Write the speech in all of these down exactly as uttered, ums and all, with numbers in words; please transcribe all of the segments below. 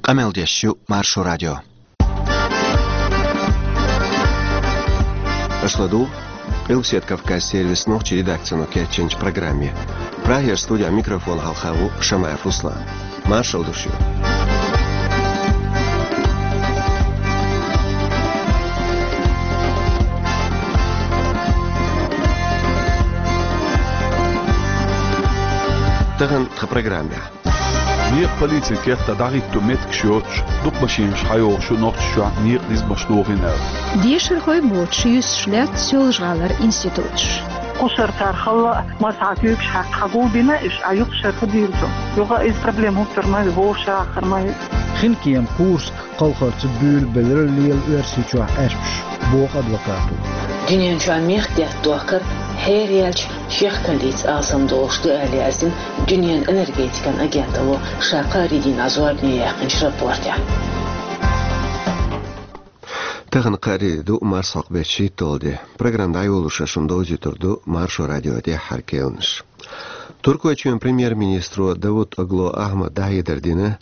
Къамел деш ю Маршо радио. Аша ладугӀу Къилбаседа Кавказ сервисан нохчийн редакцино кечйинчу программе. Прагера студехь микрофон хьалха ву Шамаев Руслан. Маршалла ду шуьга. Тахана тхан программехь. Некъан полицин кехатахь дӀахӀитто меттигаш йоцуш, дукха машинаш хьайогӀуш ю Нохчийчохь некъан низамаш дохийна аьлла. Дешархой боцуш юьсуш лаьтта Соьлжа-ГӀалара институташ. Кхушара цара хала а, массахьа куьйгаш хьаькхна хьагулбина, уьш а юха шарха дийрзо. Юха иза проблема хӀуттур ма ю, вовшаххар ма ю. Хинкема, Курск кхалхарца буьйлабелира лела Оьрсийчохь Ӏаьрпаш, боху адвокато. Дуьнен чохь мехкдаьтта дохкар хьераяьлча, шех кандийца алсамдолуш ду аьлла яздина Дуьненан энергетикан агенталло ша кхаарин дийнахь зорбане яьккхинчу рапортехь. Тахана кхаарин де ду, марсхьокху беттан шийтталгӀа де. Программа дӀайолош шуна довзуьйтур ду Маршо радион тӀаьххьара кхаьънаш. Туркойчоьнан премьер-министро Давутоглу Ахьмада дӀахьедар дина,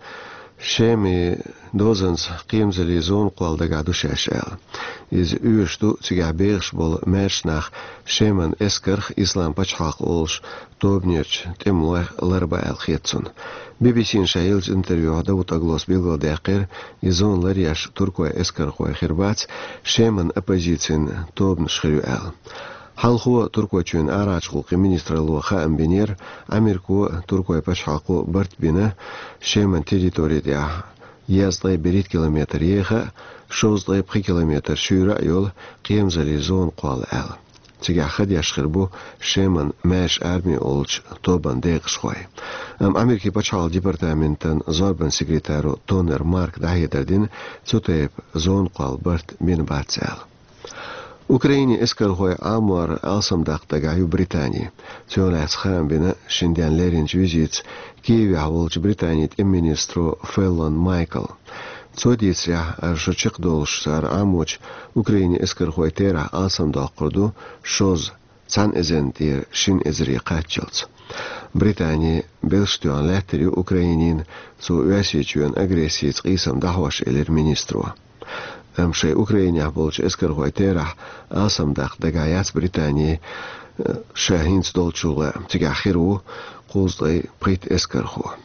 Шеман дозанца кхерамзаллин зона кхолла дагахь ду шаьш аьлла. Иза оьшуш ду, цигахь бехаш болу маьрша нах Шеман эскарх, Ислам пачхьалкх олуш тобанерчу тӀемалойх ларбан аьлла хета цунна. Би-би-сина ша еллачу интервьюхь Давутоглус билгалдаьккхира, и зона ларъеш туркойн эскархой хир бац, Шеман оппозицин тобанаш хир ю аьлла. Хьалхо Туркойчоьнан арахьарчу гӀуллакхийн министралло хаам бинера, Америко а, туркойн пачхьалкхо а барт бина Шеман территори тӀехь езткъе берхӀитта километр еха а, шовзткъе пхи километр шуьйра а йолу кхерамзаллин зона кхолла аьлла. Цигахь ха деш хир бу Шеман маьрша арми олучу тобанан декъашхой. Амма Америкин пачхьалкхан департаментан зорбанан секретаро Тоннер Марка дӀахьедар дина, цу тайпа зона кхолла барт бина бац аьлла. Украинин эскархой Ӏамор алсамдаккха дагахь ю Британи. Цунах лаьцна хаам бина шина денна леринчу визитца Киевехь волчу Британин тӀеман министро Феллон Майкла. Цо дийцарехь, ара шо чекхдолуш цара Ӏамочу Украинин эскархойн терахь алсамдоккхур ду шозза, цхьана эзарна тӀера шина эзаре кхаччалц. Британи белш тоьхна лаьттар ю Украинина, цо Оьрсийчоьнан агрессица къийсам дӀахьош, элира министро. Амма шайн Украинехь болчу эскархойн терахь алсамдаккха дагахь яц Британи, э, ша хӀинца долчул а, цигахь хир ву кхузткъе пхийтта эскархо.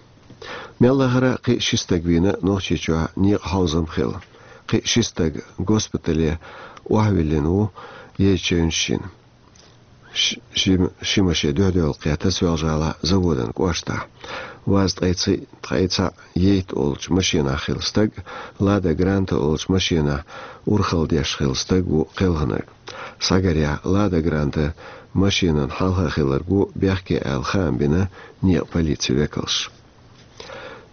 Мел лахара кхин а ши стаг вийна Нохчийчохь некъан хьовзам хилла. Кхин а ши стаг госпитале охьавиллина ву езачевнаш йина. Ш-, ши, ши машен дуьхьадевлла кхетта Соьлжа-ГӀалахь Заводан кӀоштахь. Ваз ткъе цхьаъ, ткъе цхьаъ ейтта олучу машенахь хилла стаг, Лада Гранта олучу машенахь урхалла деш хилла стаг ву кхелхинарг. Схьагарехь, Лада Гранта машенан хьалха хилларг ву бехке аьлла хаам бина некъан полицин векалша.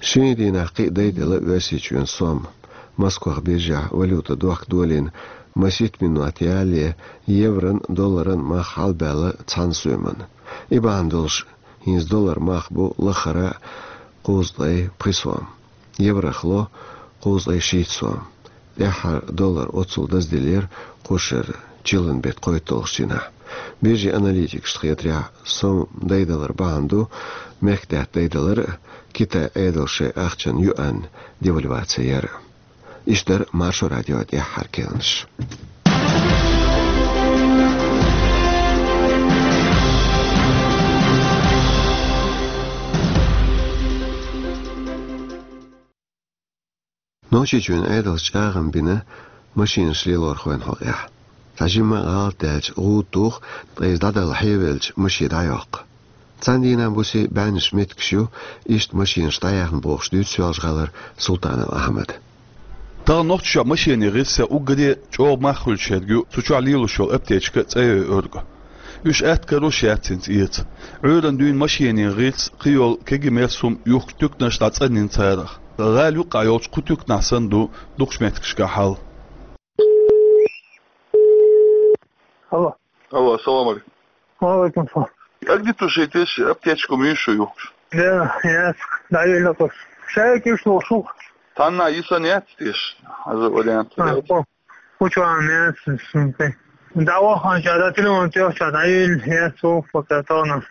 Шинарин дийнахь кхин а дайделла Оьрсийчоьнан сом. Москвахь биржехь валюта дохка долийна, масийтта минот ялале еврон, долларан мах хьалабаьлла цхьана соьмана. И бахьана долуш, хӀинца долларан мах бу лаххара кхузткъе пхи сом, еврох ло кхузткъе шийтта сом. ТӀаьххьара доллар оццул даздиллира кху шарахь чиллан беттан кхойтталгӀачу дийнахь. Биржин аналитикашна хетарехь, сом дайдалар бахьана ду мехкдаьтта дайдалар а, Китайн Ӏедалша шайн ахчанан юаньнан девальваци яр а. Иштта дара Маршо радион тӀаьххьара кхаьънаш. Нохчийчоьнан Ӏедалша чӀагӀам бина машинаш лелорхойн хьокъехь. Цхьа жимма а гӀалат даьлча, гӀуда туху, ткъа иза дӀадала хьевелча, машен дӀайоккху. Цхьана дийнахь буси бӀеннаш меттигаш ю, иштта машинаш дӀаяьхна бохуш дуьйцу Соьлжа-ГӀалара Султанов Ахьмада. Тахана Нохчийчохь машенийн гӀирсех уггаре а чӀогӀа мах хуьлуш ерг ю цу чохь лелош йолу аптечка цӀа йойург. Уьш атта карош яц хӀинца эца. Ӏуьйранна дуьйна машенийн гӀирс, кхийолу кегий-мерса хӀума юхкучу туьканаш дӀацӀанйина царах. ГӀала юккъехь йолчу кху туьканахь санна ду дукхачу меттигашкахь хьал. Алло. Алло, ассаламу алейкум. Ва алейкум салам. Как где-то же здесь аптечку меньше юхкуш? Да, яц, дӀавелла кхуш. Шайга уьш лохуш ву. Танна йисан яц теш, хьажа вариант. А, яц. О, кучу ан яц, сумпе. ДӀаваханча, да, телефон тӀехча, дӀавелла яц, ву, пока тона.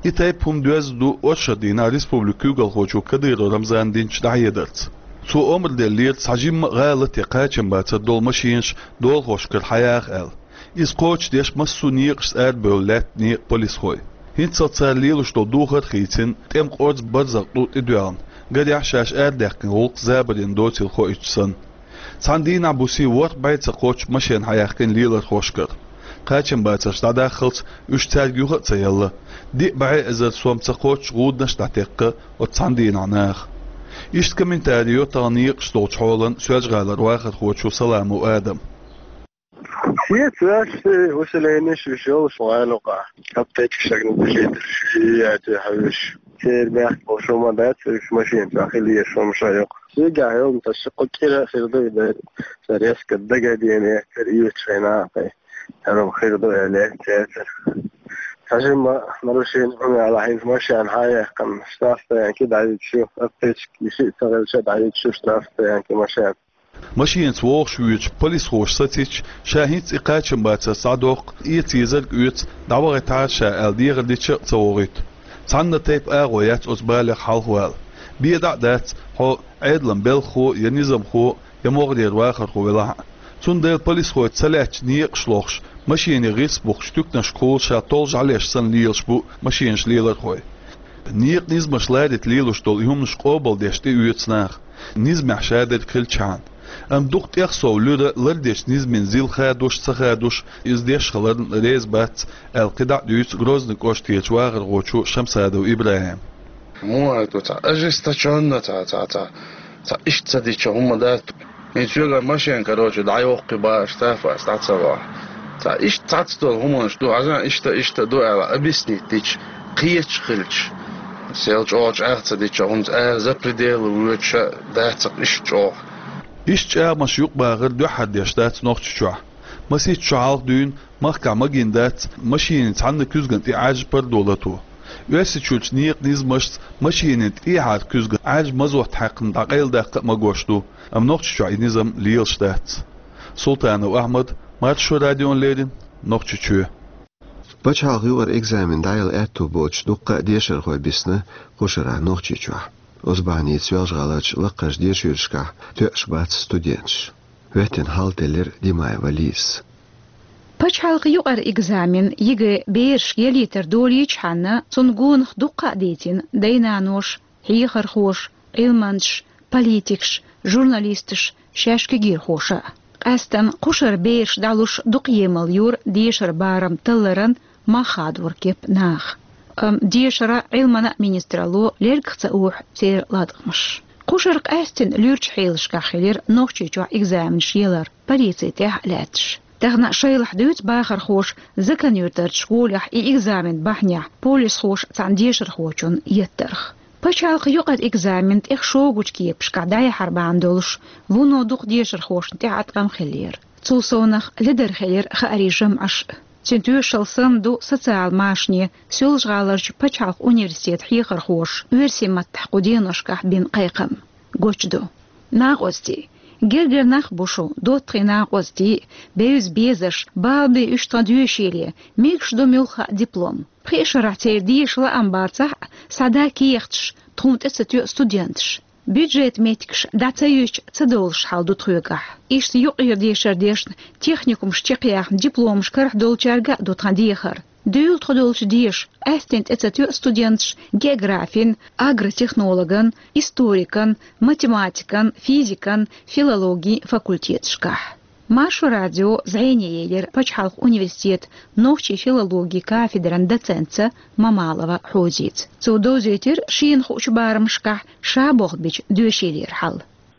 И тайпа хӀума доьзна ду оршот дийнахь республикан куьйгалхочо Кадыров Рамзана динчу дӀахьедарца. Цо омра деллера цхьа жимма а гӀала тӀе кхачам бацар долу машенаш долахошкара хьаяха аьлла. Иза кхочушдеш массо а некъашца арабевлла лаьтта некъан полисхой. ХӀинццалц цара лелаш долу духар а хийцина, тӀеман къорза барзакъ тӀу тӀедоьлхна, гарехь шаьш арадаьккхина гӀуллакх забарна доцийла хоуьйтуш санна. Цхьана дийнахь буьйса ворхӀ бӀе ца кхоччу машен хьаяьккхина лелархошкара. Кхачам бацарш дӀадаххалц уьш цаьрга юха а ца елла, диъ бӀе эзар сом ца кхоччу гӀуданаш а дӀатекхна оцу цхьана дийнахь наха. Иштта комментари йо тахана некъаш долчу хьолан Соьлжа-ГӀалара вахархочо Саламов Адама. Шеца ваьшший усиленеш уьш йолуш вайлукъа. Аптечка шагна дилийтар ши яти хьуьш. Церан бехк болуш хӀума дац, уьш машина чохь хила езаш хӀума ша йоккху. Шегахь йолу ца ши кху кӀира а хир ду и дар. Ца резко дагадене, цер оьцуш хьайна а кхай. ХӀара хир ду аьлла, цецара. Цхьа жимма нарушение хӀума яла хьайна машина хьаяьккхина, штрафстоянке дӀайигаш ю, аптечка йиши а ца хилча дӀайигаш ю штрафстоянке машина. Машинаца вогӀуш воьдучу полисхоша сацийча, ша хӀинца и кхачам бацар схьадоккху, эца езарг оьцу, дӀавахийтахьара ша аьлла дехар дича а ца вогӀуьйту. Цхьанна тайпа агӀо яц оцу балех хьалхавала. Бен дӀа а дац, хьо Ӏедалан белхахо я низамхо, я могӀарера вахархо велахь а. Цундела полисхой ца лаьттачу некъаш лохуш, машенийн гӀирс бухкучу туьканашкахула ша толжа хьалеш санна лелаш бу машенаш лелархой. Некъан низамаш ларита лелаш долу и хӀуманаш къобалдеш тӀеоьцу наха. Низамехь шадерг хилчхьана. Амма дукха тӀех сов луьра лардечу низамийн зил хадош а, ца хадош а, иза деш хиларна реза бац, аьлла кхидӀа а дуьйцу Грозный кӀоштерчу вахархочо Шамсадов ИбрахӀима. Муха ду цхьа ожесточённо цхьа, цхьа, цхьа, цхьа иштта ца дича хӀума дац. ХӀинца соьгара машен, короче, дӀайоккху бахьаш, штрафаш дӀа ца вахь. Цхьа иштта цхьацца долу хӀуманаш ду, хьажа, иштта, иштта ду аьлла, объяснить дича, кхеташ хилча. Сел чӀогӀа чӀагӀ ца дича, хӀунца ара за пределы воьдуш а дац-кх иштта чӀогӀа. Иштта чӀагӀамаш юкъабахар дуьххьара деш дац Нохчийчохь. Масийтта шо хьалха дуьйна махкахь магийна дац машенийн цхьанна куьзгана тӀе Ӏаьржа пардо лато. Оьрсийчуьрчу некъан низамашца машенийн тӀехьара куьзгана Ӏаьржа мазот хьаькхна дӀакъайладаккха а магош ду, амма Нохчийчохь и низам лелаш дац. Султанов Ахьмад, Маршо радиона леррина, Нохчийчоь. Пачхьалкхан юкъара экзамен дӀаяла аьтту боцуш дуккха а дешархой бисна кхушара Нохчийчохь. Оцу бахьаница Соьлжа-ГӀаларчу лакхарчу дешархошкахь тоьаш бац студенташ. ХӀоьттина хьал теллира Димаева Лизас. Пачхьалкхан юкъара экзамен, ЕГЭ, берашка ялийтар долийчхьана, цунна гонах дуккха а дийцина дай-наноша, хьехархоша, Ӏилманчаша, политикаша, журналисташа, шаьш кегийрхоша а. Къаьстина кхушара бераш дӀалуш дукха емал йора дешара барам талларан мах хадоран кеп наха. Амма дешаран, Ӏилманан а министралло лергах ца охьу церан латкъамаш. Кхушара къаьстина луьрачу хьелашкахь хилира Нохчийчохь экзаменаш ялар, полици тӀехь а лаьтташ. Тахана шайлахь дуьйцу бахархоша Закан-Юьртарчу школехь и экзамен бахьанехь полисхоша цхьана дешархочунна еттарх. Пачхьалкхан юкъара экзамен тӀех шогачу кепашкахь дӀаяхьар бахьана долуш, вуно дукха дешархошна тӀехь а ткъам хиллера. Цул совнах ледара хилира хаарийн жамӀаш. Цуьнан тоьшалла санна ду социалан машане Соьлжа-ГӀаларчу пачхьалкхан университетан хьехархоша оьрсийн маттахь кху деношкахь бина кхайкхам. Гучудо. Накъостий. Гергара нах бу шу, доттагӀий накъостий, бевза безарш, бала бе уьш тхан доьшийле, мегаш ду муьлхха а диплом. Пхи шарахь церан деша лаам бацахь а, схьадан кехаташ, тхуна тӀе ца тоьа студенташ. Бюджетан меттигаш дӀа ца юьзча, ца довлуш хьал ду тхоьгахь. Иштта юкъара дешар дешна, техникумаш чекхъяьхна, дипломаш карахь долчаьрга а ду тхан дехар. Дуьйла тхо долчу деша, къаьстина тӀе ца тоьа студенташ географин, агротехнологан, историкан, математикан, физикан, филологин факультеташкахь. Маршо радио зӀене елира пачхьалкхан университетан нохчийн филологин кафедран доцентца Мамалова Хьозица. Цо довзийтира шена хуучу барамашкахь ша болх бича доьшийлера хьал.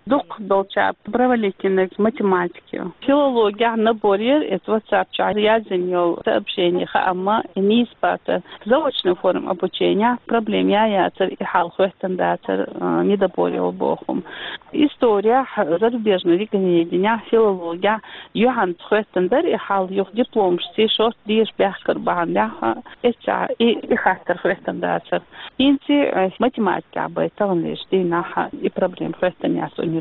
Дукха долчара провалить йинарг математика ю. Филологехь набор яра, эцу WhatsApp чохь яздина йолу сообщение хаамма, и нийса бацара. Заочная форма обучения проблема я яцара, и хьал хӀоьттина дацара, а, недобор йолу боху. Историехь, зарубежный регионедениехь, филологехь юьхьанца хӀоьттина дара и хьал, юха дипломашций шорта деша баьхкар бахьанехь, эццахь и, и хаттар хӀоьттина дацара. ХӀинца, э, математикехь бай таханлерчу дийнахь и проблема хӀоьттина яц университетехь.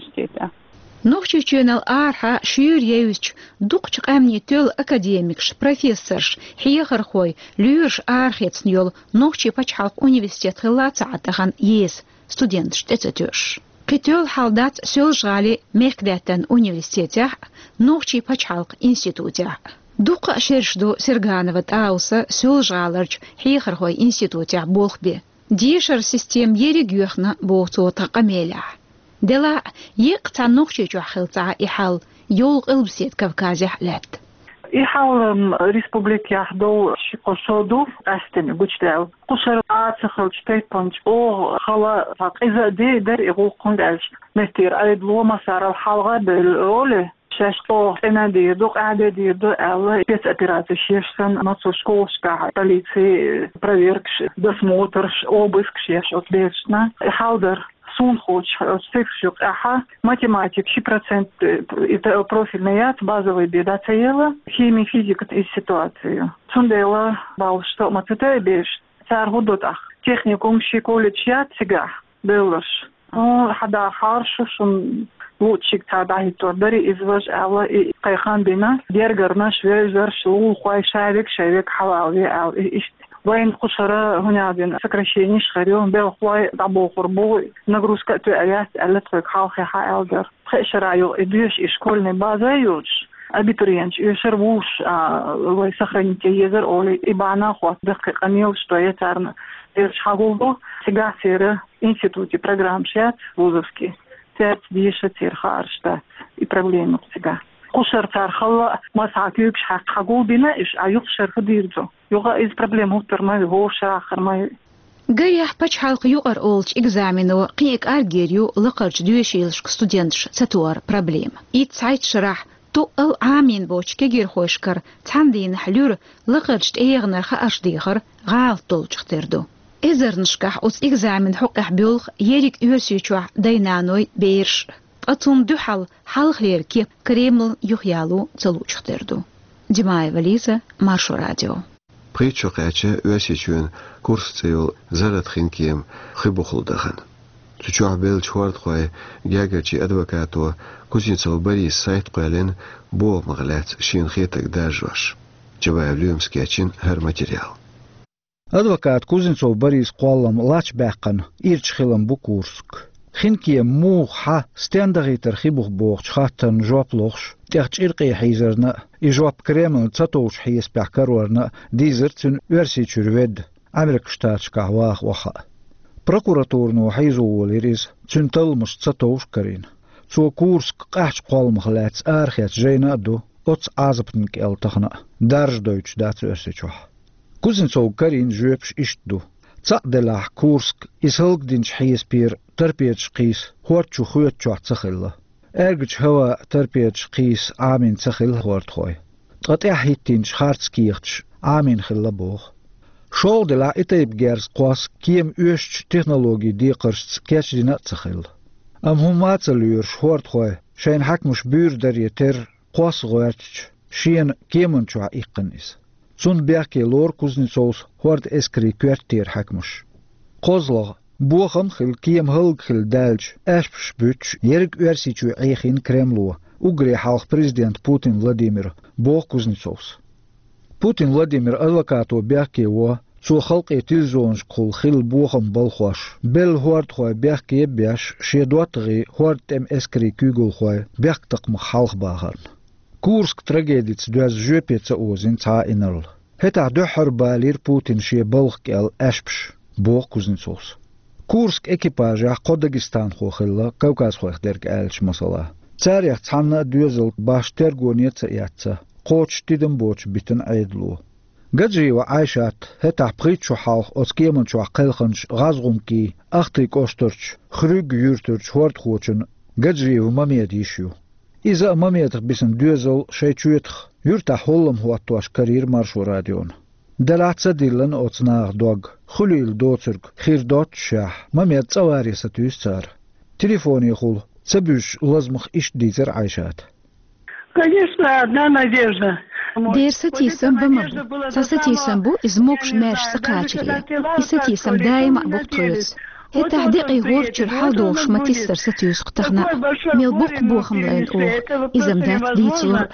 Нохчийчоьнал арахьа шуьйра евзачу, дукхачу къаьмнийн тоьлла академикаш, профессорш, хьехархой, лоьраш арахецна йолу Нохчийн пачхьалкхан университет хилла ца Ӏа тахана еза, студенташ тӀе ца тоьуш. Кхы тоьлла хьал дац Соьлжа-ГӀалий мехкдаьттан университетехь а, Нохчийн пачхьалкхан институтехь а. Дуккха а шераш ду Серганова ТӀауса Соьлжа-ГӀаларчу хьехархойн институтехь болх бен. Дешаран система ерриг а йоьхна, боху цо тхан къамелехь. Делахь а, еккъа цхьана Нохчийчохь хилла ца Ӏа и хьал, йолу Къилбаседа Кавказехь а лаьтта. И хьал, м, республикехь долу ши-кхо шо ду къаьстина гучудаьлла. Кхушара а ца хилча тайпана чӀогӀа хала, цхьа къиза а де дара и гӀуллакх, хӀунда аьлча меттера Ӏедало массарал хьалха а бевлла олий, шаьш чӀогӀа цӀена дийр ду, къаьхьа де дийр ду аьлла, спецоперацеш еш санна, массо школашкахь полицин проверкаш, досмотрш, обыскаш еш оцу берашна. И хьал дара. Суна хууш, оцу цифраш юкъахь математика ши процент, э, и та-, профильный яц, базовый бен дац ца елла, хими, физика и ситуацию. Цундела баллаш со а ма ца тойу бераш. Цара хӀун до тӀаккха? Техникум ши колледж яц цигахь бевлларш. Хьан дахьара шу шуна луучуьнга цхьа дӀахӀиттор дарий, иза важа аьлла, и кхайкхам бина, гергарнаш, вевзарш, лулахой, шаверг, шаверг хьалаве аьлла, и иштта. Вайна кхушара, хӀунда аьлла, сокращенеш хир ю, белхалой дӀабохур бу, нагрузка а тоьар яц аьлла, тхоьга хьалхе хьа аьлла дара. Пхеа шарахь юкъа и доьшу и школьный база а йоцуш, абитуриенташ оьшура вуш, а, вай сохранить ян езара олий, и бахьана а хӀотта даккхий къамелаш до я царна, цераш хьагулду, цигахь церан институте программаш яц, вузовский, цаьрца деша церан хаарш дац, и проблема ю цигахь. Кхушара цара хала а, массахьа куьйгаш хьаькхна хьагулбина, уьш а юха шарха дийр ду. Юха иза проблема хӀуттур ма ю, хӀора шарахь хир ма ю. Гарехь, пачхьалкхан юкъара олучу экзамено кхин а кӀаргйийр ю лакхарчу доьшийлашка студенташ ца тохар проблема. Итт цхьайтта шарахь тоъал Ӏамийна боцчу кегийрхошкара цхьана дийнахь луьра лакхарчу тӀегӀанара хаарш дехар гӀалат долчух тера ду. Эзарнашкахь оцу экзаменан хьокъехь боьлху ерриг Оьрсийчохь дай-наной, бераш а. Ткъа цунна дуьхьал хьалхалера кеп Кремлан юхаяло ца луучух тера ду. Димаева Лиза, Маршо радио. Пхийтта шо кхаьчна Оьрсийчоьнан Курск цӀе йолу Зарратан хинкема хи бухахула дахана. Цу чохь беллачу хӀордахойн гергарчийн адвокато Кузнецов Бориса сайта кхоьллина бохамах лаьцна шена хетарг даржош. Чабаев Лоьмас кечйина хӀара материал. Адвоката Кузнецов Борисан кхоллам лач баьккхина ирча хилам бу Курск. Хинкема муха, хьан, стенна дахийтара хи буха бохучу хаттарна жоп лохуш, тӀех чӀиркъе хьийзарна а, и жоп Кремлна ца товш хьесапехь карорна а дийзира цуьнан Оьрсийчуьра ведда, Ӏамеркан Штаташкахь ваха охьа а. Прокуратурано хьийзо волийра иза, цуьнан талламаш ца товш а карийна. Цо Курск къаьхьачу кхолламах лаьцна арахецна жайна а ду, оццу Ӏазапна кӀел тахана а, даржа дойтуш дац Оьрсийчохь. Кузнецовга карийна жоьпаш иштта ду. Цхьаъ делахь, Курск, иза хӀаллакдинчу хьесапера торпедаш кхийса хӀорда чу хоьтучохь ца хилла. Аьргачу хӀаваъ торпедаш кхийса Ӏамийна ца хилла хӀордахой. Ткъа тӀаьхьахӀиттинчу харц кехаташ Ӏамийна хилла боху. ШолгӀа делахь, и тайпа герз кхосса кема оьшучу технологийн декхаршца кечдина а ца хилла. Амма хӀумма а ца лоьруш хӀордахой, шайна хьаькамаш буьйр даре терра, кхосса гӀоьртича, шена кеман чохь иккхина иза. Цунна бехке лору Кузнецовс хӀордан эскарийн коьртера хьаькамаш. КхозлагӀа, бохам а хилла, кема хӀаллакьхилла даьлча, аьшпаш буьттуш, ерриг Оьрсийчоь Ӏехийна Кремло, уггаре хьалха президента Путин Владимира, боху Кузнецовс. Путин Владимиран адвокато бехке во, цо халкъе телевизионашкахула хилла бохам балхош, белла хӀордахой бехке а беш, шен доттагӀий хӀордан тӀеман эскарийн куьйгалхой бехктакхамах хьалхабахарна. Курск трагедица доьзна жоьпе ца озийна цхьа а инарла. ХӀетахь дуьххьара балийра Путина шен балха кӀел аьшпаш, боху Кузнецовс. Курск экипажехь кхо дагестанхо хилла, кавказхойх дерг аьлча, масала. Царех цхьанна а доьзал башха тергоне а ца эцна, кхочуш тидам боцуш битина Ӏедало. Гаджиева Ӏайшат хӀетахь пхийтта шо хьалха оцу кеман чохь кхелхинчу ГӀазгӀумкин Ахтын кӀоштарчу Хрюг юьртарчу хӀордахочун Гаджиев Мамедан йиша ю. Иза а Мамедах бисина доьзал шайн чоьтах юьртахь хӀоллам хӀоттош карийра Маршо радиона. Делахь ца диллина оцу наха дог, хуьлийла доцург хир доццушехь, Мамед цӀа варе сатуьйсу цара. Телефонехула ца буьжучу лазамах иштта дийцира Ӏайшата. Конечно, одна надежда. Дера сатийсам бан ма бу. Цхьа сатийсам бу, иза могуш-маьрша ца кхачаре. И сатийсам даима а бу тхоьца. ХӀетахь декъий гӀора чуьра хьал дохуш ма-тиссара сатуьйсу-кх тахана, мел боккха бохам лайна оха, иза-м дац дийцалур.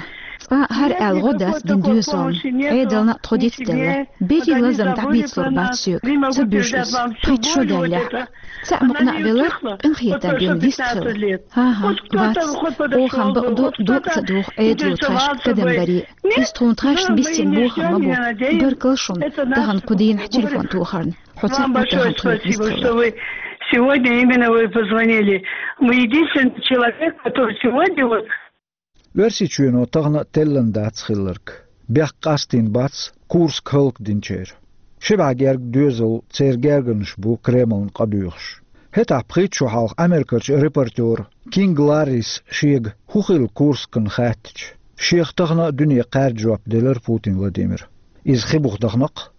Цкъа а хӀара аьлла гӀо дац дина доьзална, Ӏедална а тхо дицделла. Берриг лазам дӀабийцалур бац соьга, ца буьжу иза, пхийтта шо даьллехь а. Цхьаъ мукъана а велар, къинхетам бина вист хилла. ХӀан-хӀа, вац, оха-м бакъду, докъа ца доху Ӏедало тхаьшка кадам баре. Иза тхуна тхаьшна биссина бохам ма бу. Баркалла шуна, тахана кху дийнахь телефон тохарна. Хьо ца Вам большое тхоьга спасибо, вистхилла, что вы сегодня именно вы позвонили. Вы единственный человек, который сегодня вот Оьрсийчоьно тахана а теллина дац хилларг. Бехк къастийна бац Курск хӀаллакдинчеран. Ши бӀе гергга доьзал, церан гергарнаш бу Кремлна къадоьхуш. ХӀетахь пхийтта шо хьалха Америкерчу репортёра Кинг Ларрис шега хӀун хилла Курскана хаьттича, шех тахана а дуьне кхаьрда жоп делира Путин Владимира. Иза хи буха дахана-кх.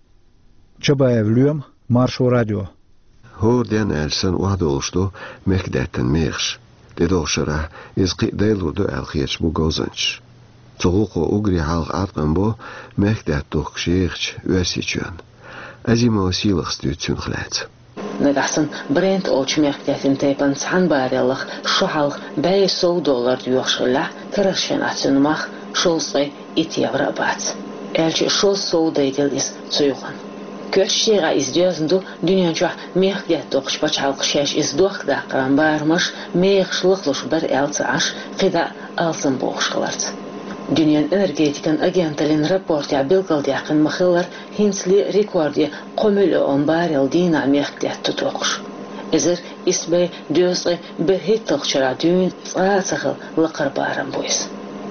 Чабаев Лоьма, Маршо радио. ХӀора ден аьлча санна охьадолуш ду мехкдаьттан мехаш. ТӀедогӀучу шарахь иза кхин а дайлур ду аьлла хеташ бу говзанчаш. Цу гӀуллакхо уггаре хьалха Ӏаткъам бо мехкдаьтта духкуш ехачу Оьрсийчоьнна. Азимова Сийлахас дуьйцу цунах лаьцна. Нагахь санна Брент олучу мехкдаьттан тайпана цхьана баррелах шо хьалха бӀе сов доллар доьхуш хиллехь, карарчу хенахь цуьнан мах шовзткъе итт евро а бац. Аьлча а шозза сов дайделла иза цу юкъана. Коьртачу декъехь иза доьзна ду дуьнен чохь мехкдаьтта доккхучу пачхьалкхаша шаьш иза дохкадаккхаран барамаш, мехаш лахлуш бара аьлла ца Ӏаш, кхидӀа а алсам бохуш хиларца. Дуьненан энергетикан агенталлин рапортехь билгалдаьккхина ма-хиллара, хӀинцале а рекорде кхо миллион баррел дийнахь мехкдаьтта ду доккхуш. Эзар исс бӀе дезткъе берхӀитталгӀачу шарахь дуьйна цкъа а ца хилла лакхара барам бу иза.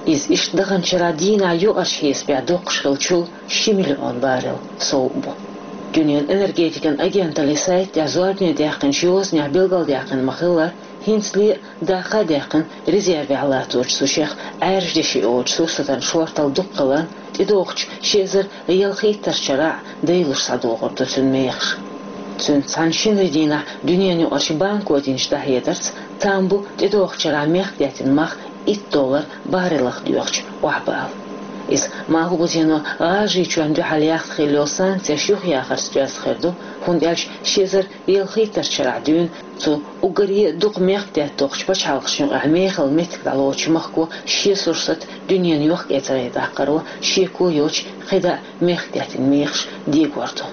Иза иштта даханчу шарахь дийнахь юкъарчу хьесапехь доккхуш хиллачул ши миллион баррел сов а бу. Дуьненан энергетикан агенталлин сайта тӀехь зорбане даьккхинчу йозанехь билгалдаьккхина ма-хиллара, хӀинцале а даккха а даьккхина резервехь латточу цу шех Ӏаьржа деши йолчу сурсатан шорталла дукха хиларна, тӀедогӀучу ши эзар ялхиттарчу шарахь а дайлуш схьадогӀур ду цуьнан мехаш. Цуьнца цхьаьна шинарин дийнахь дуьненан юкъарчу банко динчу дӀахьедарца, там бу тӀедогӀучу шарахь мехкдаьттан мах итт доллар баррелах доьхучу охьабала. Иза Малхбузено ГӀажарийчоьнна дуьхьал яхна хилла йолу санкцеш юхаяхарца доьзна хир ду, хӀунда аьлча ши эзар ялхиттарчу шарахь дуьйна цу уггаре а дукха мехкдаьтта доккхучу пачхьалкхашна юкъахь мехала меттиг дӀалоцучу махко шен сурсат дуьненан йохк-эцарехь даккхаро шеко йоцуш кхидӀа а мехкдаьттан мехаш дегор ду.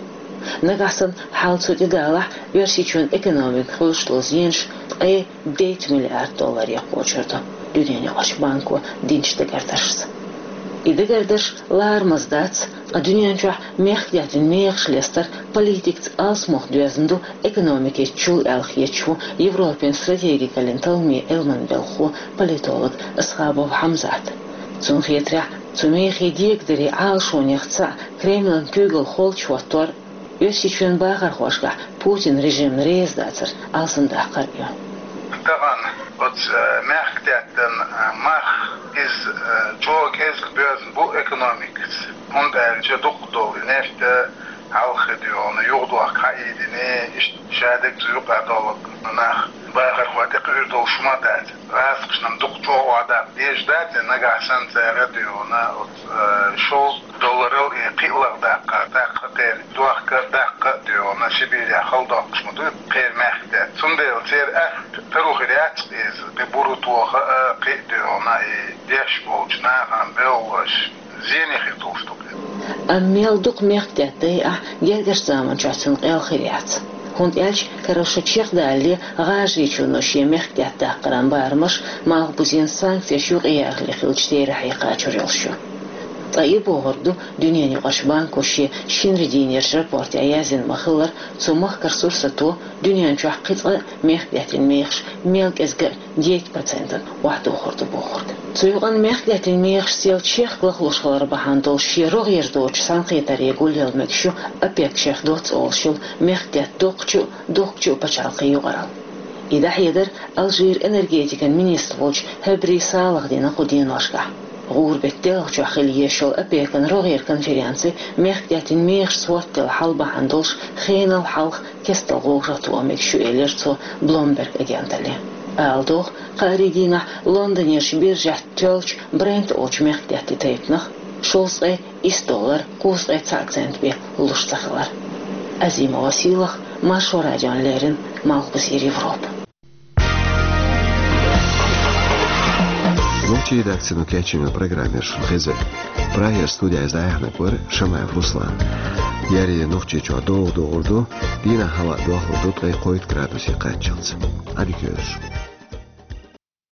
Нагахь санна хьал цу тӀедалахь, Оьрсийчоьнан экономика хуьлуш долу зенаш ткъе дейтта миллиард долларе кхочур ду, дуьненан юкъарчу банко динчу дагардаршца. И дагардарш ларамаза дац, ткъа дуьнен чохь мехкдаьттан мехаш лестар политикаца алсамох доьзна ду экономикица чул аьлла хеташ ву Европин стратегикаллин талламийн Ӏилманан белхахо, политолог Асхабов Хьамзат. Цунна хетарехь, цу мехий дегадаре Ӏалашонех цхьаъ Кремлан куьйгалла холчу хӀоттор, Оьрсийчоьнан бахархошкахь Путин режимна реза дацар алсамдаккхар а ю. Тахана оцу, э, мехкдаьттан, э, мах, иза, э, чӀогӀа кӀезиг боьзна бу экономикаца. ХӀунда аьлча дукхах долу нефть а хьалха хи дуьйна юхадохка хьаийдина, иштта шадерг цу юкъа долу нах бахархой тӀекхуьур долуш ма дац. ГӀазкхашна-м дукха чӀогӀа охьадаккха дезаш дац, нагахь санна цара дуьйна оцу, э, шовзткъа долларал и кхиалгӀа даккха, даккха а тера, дохка а, даккха а дуьйна, Сибирехь хала доккхуш ма ду кхеран мехкдаьтта. Цундела церан аьхка таро хир яц иза, кхин буро тоха а, кхин а дуьйна и деш болчу нахана бевллаш зене хир долуш ду-кх иза. Амма мел дукха мехкдаьтта дайахь, гергарчу заманчохь цуьнан къел хир яц. ХӀунда аьлча карара шо чекхдалале, ГӀажарийчоьно шен мехкдаьтта даккхаран барамаш Малхбузен санкцеш юкъаярхале хиллачу терахье кхачур йолуш ю. Ткъа и бохург ду дуьненан юкъарчу банко шен шинарин дийнерчу рапортехь яздина ма-хиллара, цу махкара сурсато дуьнен чохь кхин цкъа а мехкдаьттан мехаш мел кӀезиг а дейтта процентана охьадохур ду бохург. Цу юкъана мехкдаьттан мехаш сел чехка лахлуш хилар бахьана долуш шен рогӀера доцучу цхьаьнакхетаре гулъяла мегаш ю ОПЕК-ша доцца олуш йолу мехкдаьтта доккхачу а, дохкучу а пачхьалкхийн юкъаралла. И дӀахьедар Алжиран энергетикан министр волчу Хьабри Салаха дина кху деношкахь. ГӀуран беттан делхачохь хила езаш йолу ОПЕК-ан рогӀера конференци мехкдаьттан мехашца хӀоттаделла хьал бахьана долуш хенал хьалха кестта гӀовгӀа тоха мегаш ю, элира цо Bloomberg агенталле. Ала догӀу, кхаарин дийнахь Лондонерчу биржехь тоьллачу Брент олучу мехкдаьттан тайпанах шовзткъе исс доллар кхузткъе цхьаъ цент бен луш ца хилар. Азимова Сийлаха, Маршо радиона леррина, Малхбузера Европа. Нохчийн редакцино кечйина программа яра шуна хезар. Прагера студехь дӀаяьхьнарг вара Шамаев Руслан. Ер я Нохчийчохь догӀа догӀур ду, дийнахь хӀаваъ дохлур ду ткъе кхойтта градусе кхаччалц. Ӏадика йойла шун.